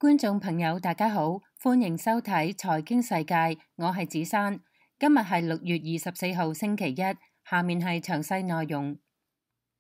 觀眾朋友大家好，歡迎收睇財經世界，我係子珊。今日係6月24號星期一，下面係詳細內容。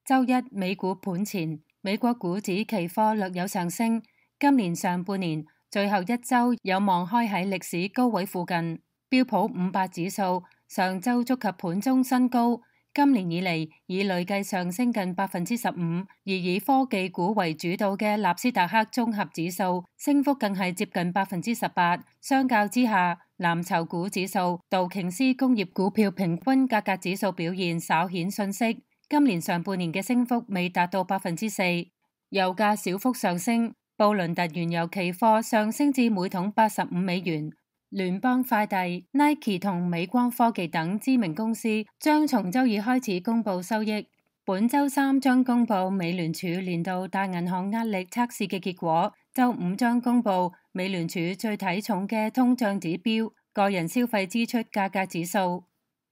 周一美股盤前，美國股指期貨略有上升，今年上半年最後一周有望開喺歷史高位附近。標普500指數上周觸及盤中新高。今年以嚟已累計上升近15%，而以科技股為主導嘅納斯達克綜合指數升幅更係接近18%。相較之下，藍籌股指數、道瓊斯工業股票平均價格指數表現稍顯遜色。今年上半年嘅升幅未達到4%。油價小幅上升，布倫特原油期貨上升至每桶85美元。聯邦快遞、Nike 同美光科技等知名公司將從周二開始公布收益。本周三將公布美聯儲年度大銀行壓力測試嘅結果，周五將公布美聯儲最睇重嘅通脹指標——個人消費支出價格指數。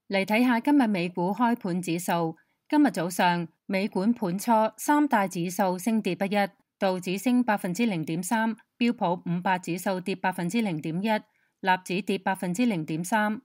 嚟睇下今日美股開盤指數。今日早上美管盤初，三大指數升跌不一，道指升0.3%，標普500指數跌0.1%。納指跌0.3%。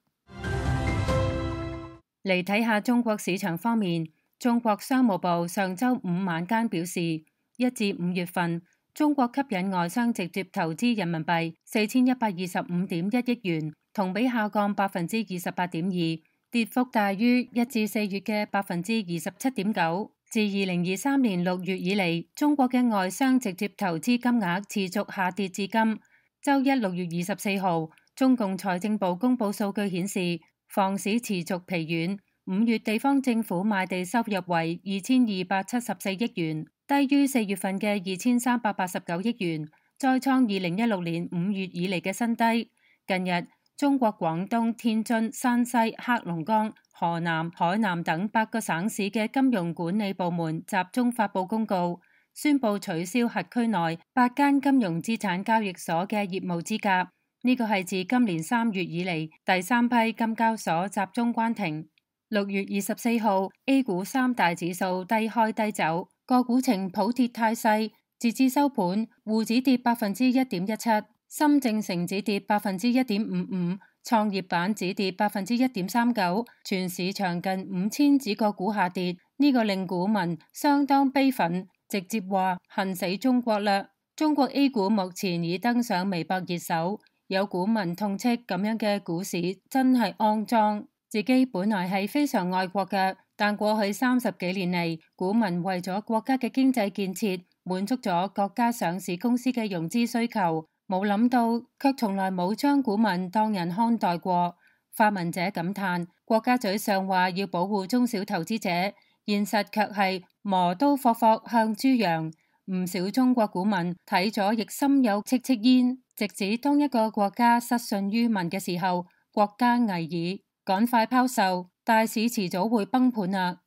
嚟睇下中國市場方面，中國商務部上周五晚間表示，1至5月份中國吸引外商直接投資人民幣4125.1億元，同比下降28.2%，跌幅大於1至4月嘅27.9%。自2023年6月以嚟，中國嘅外商直接投資金額持續下跌至今。周一6月24號，中共財政部公布數據顯示，房市持續疲軟，5月地方政府賣地收入為2274億元，低於4月份嘅2389億元，再創2016年5月以嚟嘅新低。近日，中國廣東、天津、山西、黑龍江、河南、海南等8個省市嘅金融管理部門集中發布公告，宣布取消轄區內8間金融資產交易所嘅業務資格。呢個係自今年3月以嚟第3批金交所集中關停。6月24號，A 股三大指數低開低走，個股呈普跌態勢。截至收盤，滬指跌1.17%，深證成指跌1.55%，創業板指跌1.39%，全市場近5000指個股下跌。呢個令股民相當悲憤，直接話恨死中國啦！中國 A 股目前已登上微博熱搜，有股民痛斥咁樣嘅股市真係骯髒。自己本來係非常愛國嘅，但過去30幾年嚟，股民為咗國家嘅經濟建設，滿足咗國家上市公司嘅融資需求，冇諗到卻從來冇將股民當人看待過。發文者感嘆，國家嘴上話要保護中小投資者，現實卻係磨刀霍霍向豬羊。唔少中國股民睇咗亦心有戚戚焉，直指當一個國家失信於民嘅時候，國家危矣，趕快拋售，大市遲早會崩盤啊！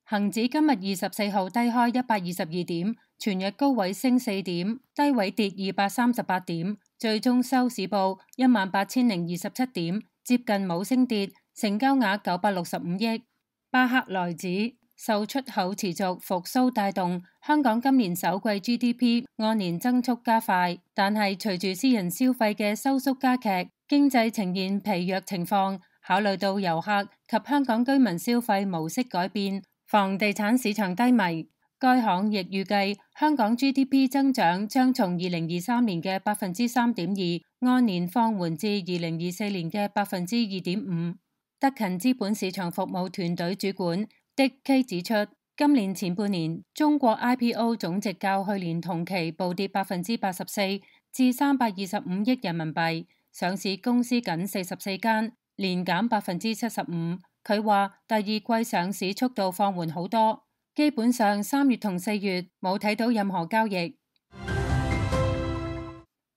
恒指今日24號低開122點，全日高位升4點，低位跌238點，最終收市報18027點，接近冇升跌，成交額965億。巴克萊指受出口持續復甦帶動，香港今年首季 GDP 按年增速加快，但係隨住私人消費嘅收縮加劇，經濟呈現疲弱情況。考慮到遊客及香港居民消費模式改變，房地產市場低迷，該行亦預計香港 GDP 增長將從2023年嘅3.2%按年放緩至2024年嘅2.5%。德勤資本市場服務團隊主管Dick K 指出，今年前半年中國 IPO 總值較去年同期暴跌84%至325億人民幣，上市公司僅44間，年減75%。佢話第二季上市速度放緩好多，基本上3月同4月冇睇到任何交易。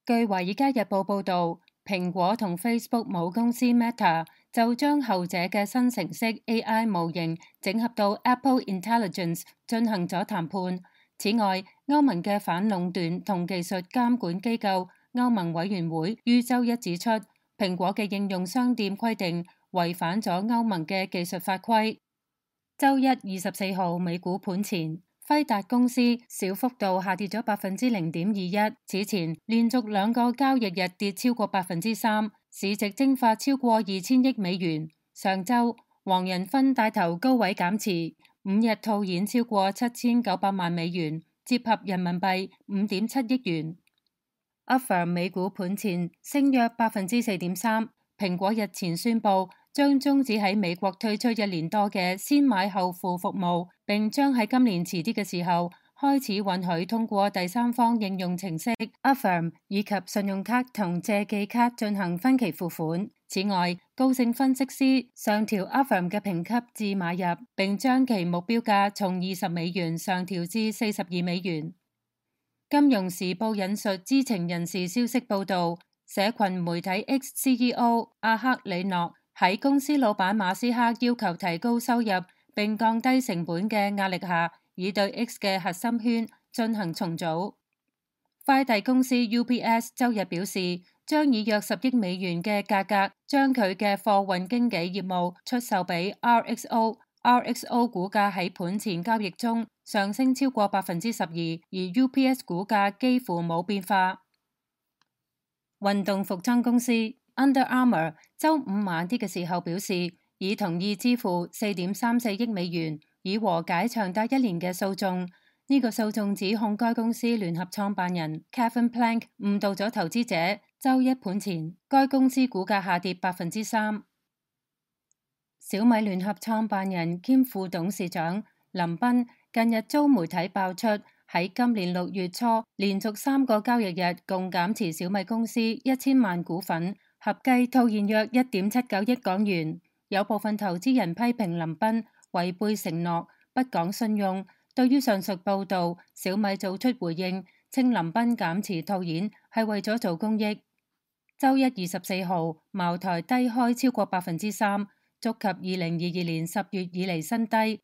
據華爾街日報報道，蘋果同 Facebook 母公司 Meta 就將後者嘅新程式 AI 模型整合到 Apple Intelligence 進行咗談判。此外，歐盟嘅反壟斷同技術監管機構歐盟委員會於周一指出，蘋果嘅應用商店規定違反咗歐盟嘅技術法規。周一24號美股盤前，輝達公司小幅度下跌咗0.21%，此前連續2個交易日跌超過3%，市值蒸發超過2000億美元。上週黃仁勳帶頭高位減持，5日套現超過7900萬美元，折合人民幣5.7億元。Affirm 美股盤前升約4.3%。蘋果日前宣布將終止喺美國推出1年多嘅先買後付服務，並將喺今年遲啲嘅時候開始允許通過第三方應用程式 Affirm 以及信用卡同借記卡進行分期付款。此外，高盛分析師上調 Affirm 嘅評級至買入，並將其目標價從20美元上調至42美元。金融時報引述知情人士消息報道，社群媒體 X CEO 阿克里諾喺公司老闆馬斯克要求提高收入並降低成本嘅壓力下，已對 X 嘅核心圈進行重組。快遞公司 UPS 周日表示，將以約10億美元嘅價格將佢嘅貨運經紀業務出售俾 RXO。RXO 股價喺盤前交易中上升超過12%，而 UPS 股價幾乎冇變化。運動服裝公司 Under Armour 週五晚啲嘅時候表示，已同意支付4.34億美元，以和解長達1年嘅訴訟。呢個訴訟指控該公司聯合創辦人 Kevin Plank 誤導咗投資者。週一盤前，該公司股價下跌3%。小米聯合創辦人兼副董事長林斌近日遭媒體爆出，喺今年6月初連續3個交易日共減持小米公司1000萬股份，合計套現約1.79億港元。有部分投資人批評林斌違背承諾，不講信用。對於上述報導，小米做出回應，稱林斌減持套現係為咗做公益。週一24號，茅台低開超過3%，觸及2022年10月以嚟新低。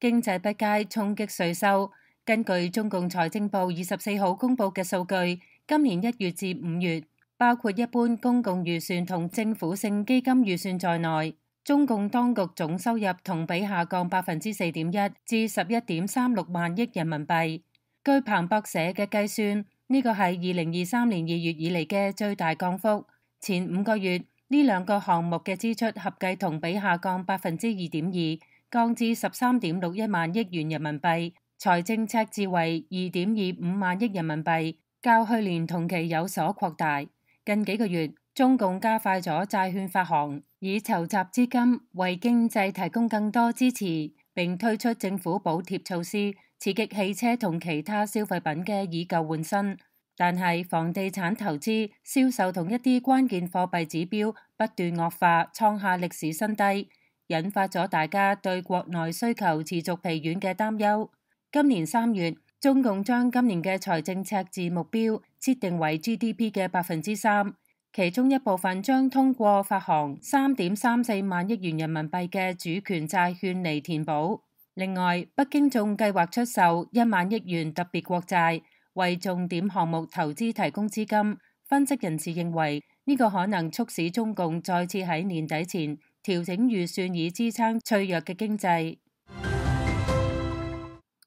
經濟不佳衝擊稅收。根據中共財政部24號公布嘅數據，今年1月至5月，包括一般公共預算同政府性基金預算在內，中共當局總收入同比下降4.1%至11.36萬億人民幣。據彭博社嘅計算，呢個係2023年2月以嚟嘅最大降幅。前5個月呢兩個項目嘅支出合計同比下降2.2%，降至13.61萬億元人民幣，財政赤字為2.25萬億人民幣，較去年同期有所擴大。近幾個月，中共加快咗債券發行，以籌集資金為經濟提供更多支持，並推出政府補貼措施，刺激汽車同其他消費品嘅以舊換新。但係房地產投資、銷售同一啲關鍵貨幣指標不斷惡化，創下歷史新低，引發咗大家對國內需求持續疲軟嘅擔憂。今年3月，中共將今年嘅財政赤字目標設定為 GDP 嘅3%，其中一部分將通過發行3.34萬億元人民幣嘅主權債券嚟填補。另外，北京仲計劃出售1萬億元特別國債，為重點項目投資提供資金。分析人士認為，呢個可能促使中共再次喺年底前調整預算，以支撐脆弱嘅經濟。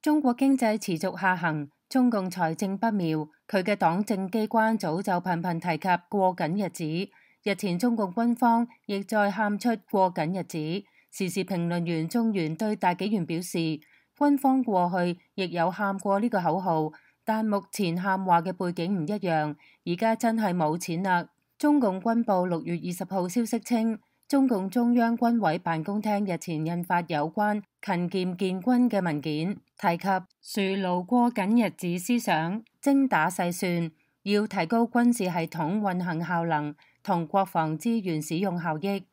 中國經濟持續下行，中共財政不妙，佢嘅黨政機關早就頻頻提及過緊日子。日前中共軍方亦再喊出過緊日子。時事評論員鍾原對大紀元表示，軍方過去亦有喊過呢個口號，但目前喊話嘅背景唔一樣，而家真係冇錢啦。中共軍報6月20號消息稱，中共中央軍委辦公廳日前印發有關勤儉建軍嘅文件，提及樹牢過緊日子思想，精打細算，要提高軍事系統運行效能同國防資源使用效益。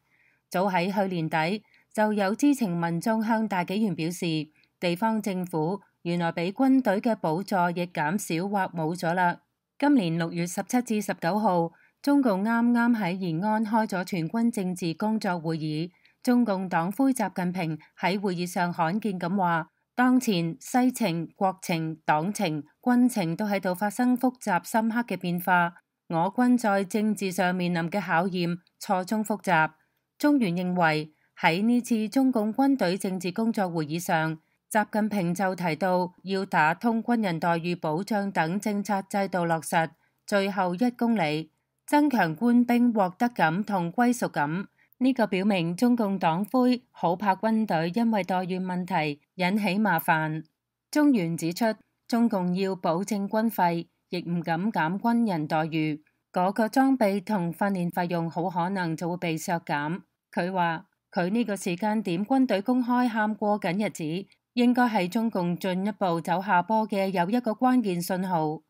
早喺去年底，就有知情民眾向大紀元表示，地方政府原來俾軍隊嘅補助亦減少或冇咗啦。今年6月17至19號，中共啱啱喺延安開咗全軍政治工作會議，中共黨魁習近平喺會議上罕見咁話，當前世情、國情、黨情、軍情都喺度發生複雜深刻嘅變化，我軍在政治上面臨嘅考驗錯綜複雜。鍾原認為喺呢次中共軍隊政治工作會議上，習近平就提到要打通軍人待遇保障等政策制度落實最後1公里，增強官兵獲得感同歸屬感。呢個表明中共黨魁好怕軍隊因為待遇問題引起麻煩。中原指出，中共要保證軍費，亦唔敢減軍人待遇，嗰個裝備同訓練費用好可能就會被削減。佢話佢呢個時間點軍隊公開喊過緊日子，應該係中共進一步走下坡嘅又一個關鍵信號。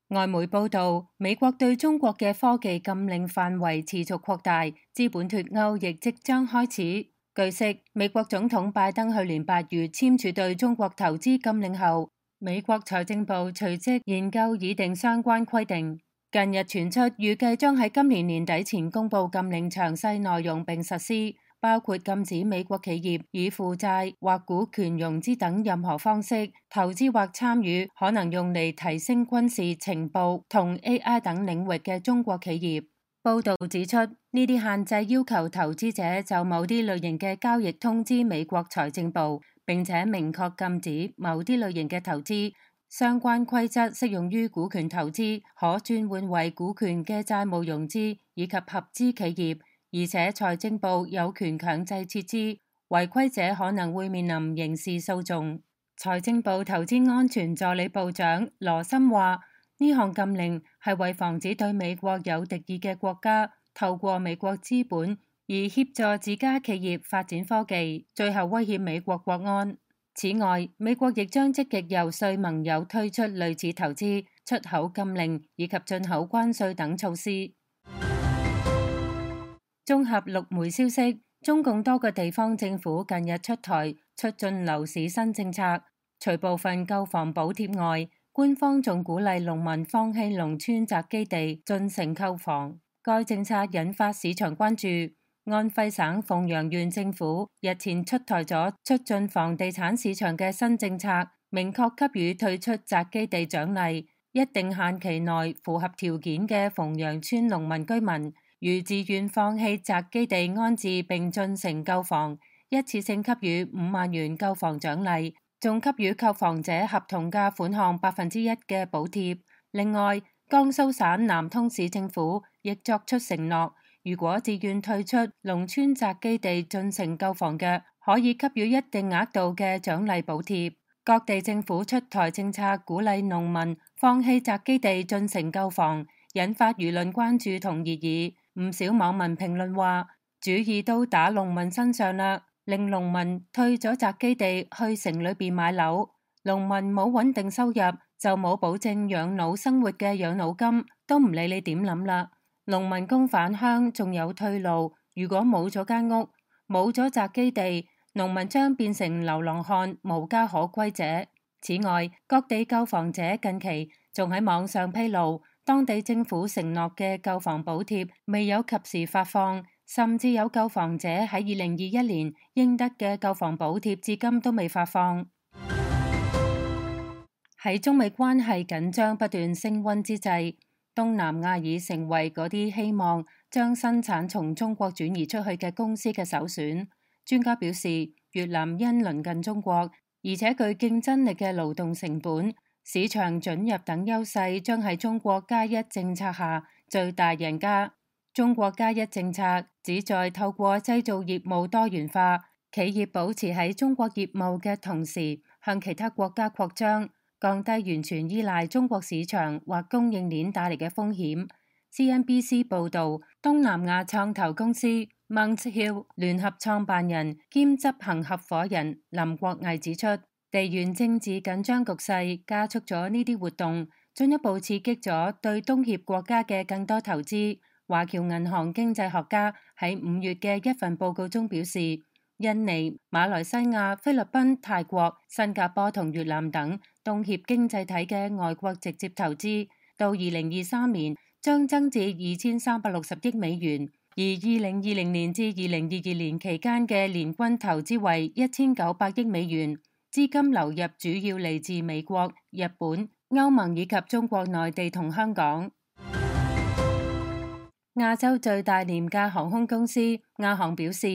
外媒報道，美國對中國嘅科技禁令範圍持續擴大，資本脫鈎亦即將開始。據悉，美國總統拜登去年8月簽署對中國投資禁令後，美國財政部隨即研究擬定相關規定。近日傳出，預計將喺今年年底前公布禁令詳細內容並實施，包括禁止美國企業以負債或股權融資等任何方式投資或參與可能用嚟提升軍事情報同 AI 等領域嘅中國企業。報道指出，呢啲限制要求投資者就某啲類型嘅交易通知美國財政部，並且明確禁止某啲類型嘅投資。相關規則適用於股權投資、可轉換為股權嘅債務融資以及合資企業。而且財政部有權強制撤資，違規者可能會面臨刑事訴訟。財政部投資安全助理部長羅森話：呢項禁令係為防止對美國有敵意嘅國家透過美國資本而協助自家企業發展科技，最後威脅美國國安。此外，美國亦將積極遊說盟友推出類似投資、出口禁令以及進口關稅等措施。綜合陸媒消息，中共多個地方政府近日出台促進樓市新政策，除部分購房補貼外，官方仲鼓勵農民放棄農村宅基地進城購房。該政策引發市場關注。安徽省鳳陽縣政府日前出台咗促進房地產市場嘅新政策，明確給予退出宅基地獎勵，一定限期內符合條件嘅鳳陽村農民居民，如自願放棄宅基地安置並進城購房，一次性給予5萬元購房獎勵，仲給予購房者合同價款項1%嘅補貼。另外，江蘇省南通市政府亦作出承諾，如果自願退出農村宅基地進城購房嘅，可以給予一定額度嘅獎勵補貼。各地政府出台政策鼓勵農民放棄宅基地進城購房，引發輿論關注同熱議。唔少網民評論話，主意都打農民身上啦，令農民退咗宅基地去城裏邊買樓，農民冇穩定收入，就冇保證養老生活嘅養老金，都唔理你點諗啦。農民工返鄉仲有退路，如果冇咗間屋，冇咗宅基地，農民將變成流浪漢、無家可歸者。此外，各地購房者近期仲喺網上披露，當地政府承諾嘅購房補貼未有及時發放，甚至有購房者喺2021年應得嘅購房補貼至今都未發放。喺中美關係緊張不斷升溫之際，東南亞已成為嗰啲希望將生產從中國轉移出去嘅公司嘅首選。專家表示，越南因鄰近中國，而且具競爭力嘅勞動成本、市場准入等優勢，將喺中國加一政策下最大贏家。中國加一政策旨在透過製造業務多元化，企業保持喺中國業務嘅同時，向其他國家擴張，降低完全依賴中國市場或供應鏈帶嚟嘅風險。CNBC 報導，東南亞創投公司 Mount Hill 聯合創辦人兼執行合夥人林國毅指出，地緣政治緊張局勢加速咗呢啲活動，進一步刺激咗對東協國家嘅更多投資。華僑銀行經濟學家喺5月嘅一份報告中表示，印尼、馬來西亞、菲律賓、泰國、新加坡同越南等東協經濟體嘅外國直接投資，到2023年將增至2360億美元，而2020年至2022年期間嘅年均投資為1900億美元。資金流入主要嚟自美國、日本、歐盟以及中國內地同香港。亞洲最大廉價航空公司亞航表示，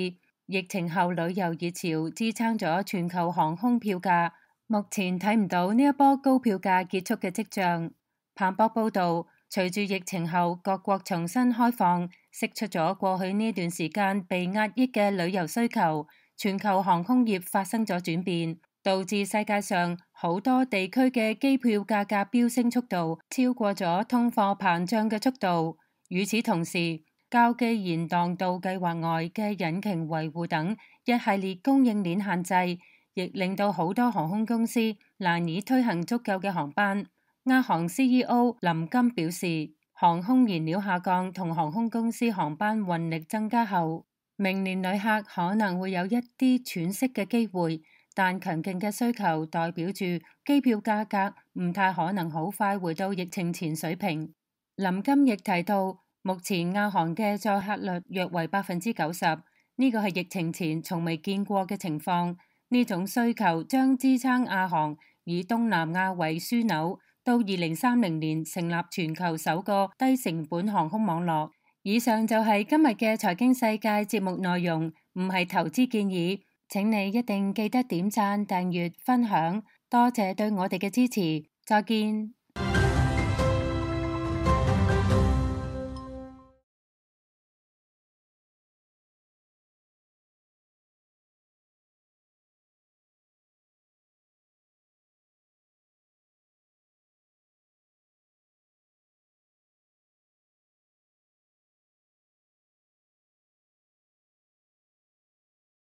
疫情後旅遊熱潮支撐咗全球航空票價，目前睇唔到呢一波高票價結束嘅跡象。彭博報道，隨住疫情後各國重新開放，釋出咗過去呢段時間被壓抑嘅旅遊需求，全球航空業發生咗轉變，導致世界上好多地區嘅機票價格飆升速度超過咗通貨膨脹嘅速度。與此同時，交機延宕到計劃外嘅引擎維護等一系列供應鏈限制，亦令到好多航空公司難以推行足夠嘅航班。亞航 CEO 林金表示，航空燃料下降同航空公司航班運力增加後，明年旅客可能會有一啲喘息嘅機會，但強勁嘅需求代表住機票價格唔太可能好快回到疫情前水平。林金亦提到，目前亞航嘅載客率約為90%，呢個係疫情前從未見過嘅情況。呢種需求將支撐亞航以東南亞為樞紐，到2030年成立全球首個低成本航空網絡。以上就係今日嘅財經世界節目內容，唔係投資建議，請你一定記得點讚、訂閱、分享，多謝對我哋嘅支持，再見。